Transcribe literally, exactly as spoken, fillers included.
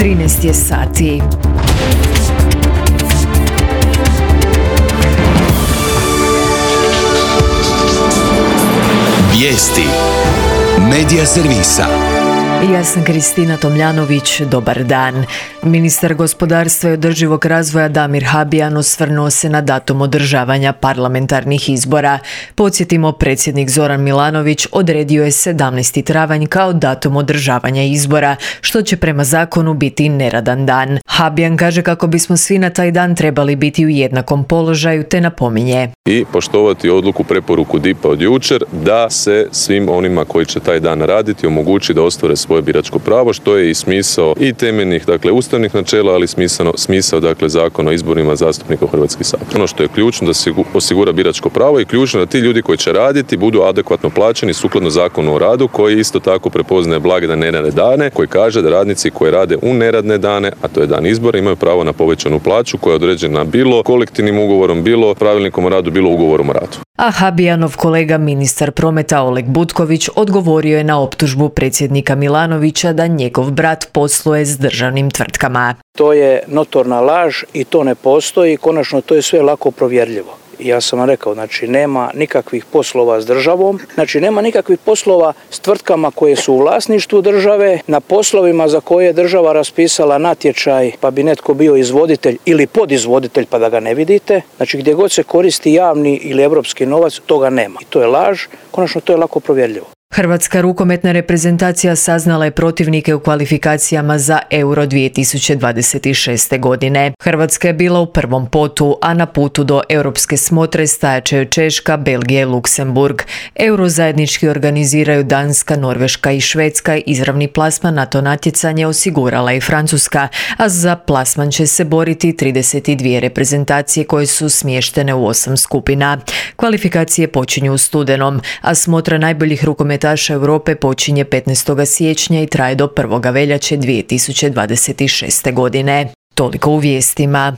trinaest je sati. Vijesti Medija servisa. Ja sam Kristina Tomljanović, dobar dan. Ministar gospodarstva i održivog razvoja Damir Habijan osvrnuo se na datum održavanja parlamentarnih izbora. Podsjetimo, predsjednik Zoran Milanović odredio je sedamnaesti travanj kao datum održavanja izbora, što će prema zakonu biti neradan dan. Habijan kaže kako bismo svi na taj dan trebali biti u jednakom položaju, te napominje. I poštovati odluku preporuku D I P-a od jučer da se svim onima koji će taj dan raditi omogući da ostvare svoje biračko pravo, što je i smisao i temeljnih, dakle, ustavnih načela, ali smisao, smisao dakle, zakona o izborima zastupnika u Hrvatski sabor. Ono što je ključno da se osigura biračko pravo i ključno da ti ljudi koji će raditi budu adekvatno plaćeni sukladno zakonu o radu, koji isto tako prepoznaje blagdane neradne dane, koji kaže da radnici koji rade u neradne dane, a to je dan izbora, imaju pravo na povećanu plaću koja je određena bilo kolektivnim ugovorom, bilo pravilnikom o radu, bilo ugovorom o radu. A Habijanov kolega ministar prometa Oleg Butković odgovorio je na optužbu predsjednika Milanovića da njegov brat posluje s državnim tvrtkama. To je notorna laž i to ne postoji. Konačno, to je sve lako provjerljivo. Ja sam vam rekao, znači nema nikakvih poslova s državom, znači nema nikakvih poslova s tvrtkama koje su u vlasništvu države, na poslovima za koje je država raspisala natječaj pa bi netko bio izvoditelj ili podizvoditelj pa da ga ne vidite. Znači gdje god se koristi javni ili europski novac, toga nema. I to je laž, konačno to je lako provjerljivo. Hrvatska rukometna reprezentacija saznala je protivnike u kvalifikacijama za Euro dvije tisuće dvadeset šeste. godine. Hrvatska je bila u prvom potu, a na putu do europske smotre stajat će Češka, Belgija i Luksemburg. Euro zajednički organiziraju Danska, Norveška i Švedska. Izravni plasman na to natjecanje osigurala i Francuska, a za plasman će se boriti trideset dvije reprezentacije koje su smještene u osam skupina. Kvalifikacije počinju u studenom, a smotra najboljih rukometaša Europe počinje petnaestog siječnja i traje do prvog veljače dvije tisuće dvadeset šeste. godine. Toliko u vijestima.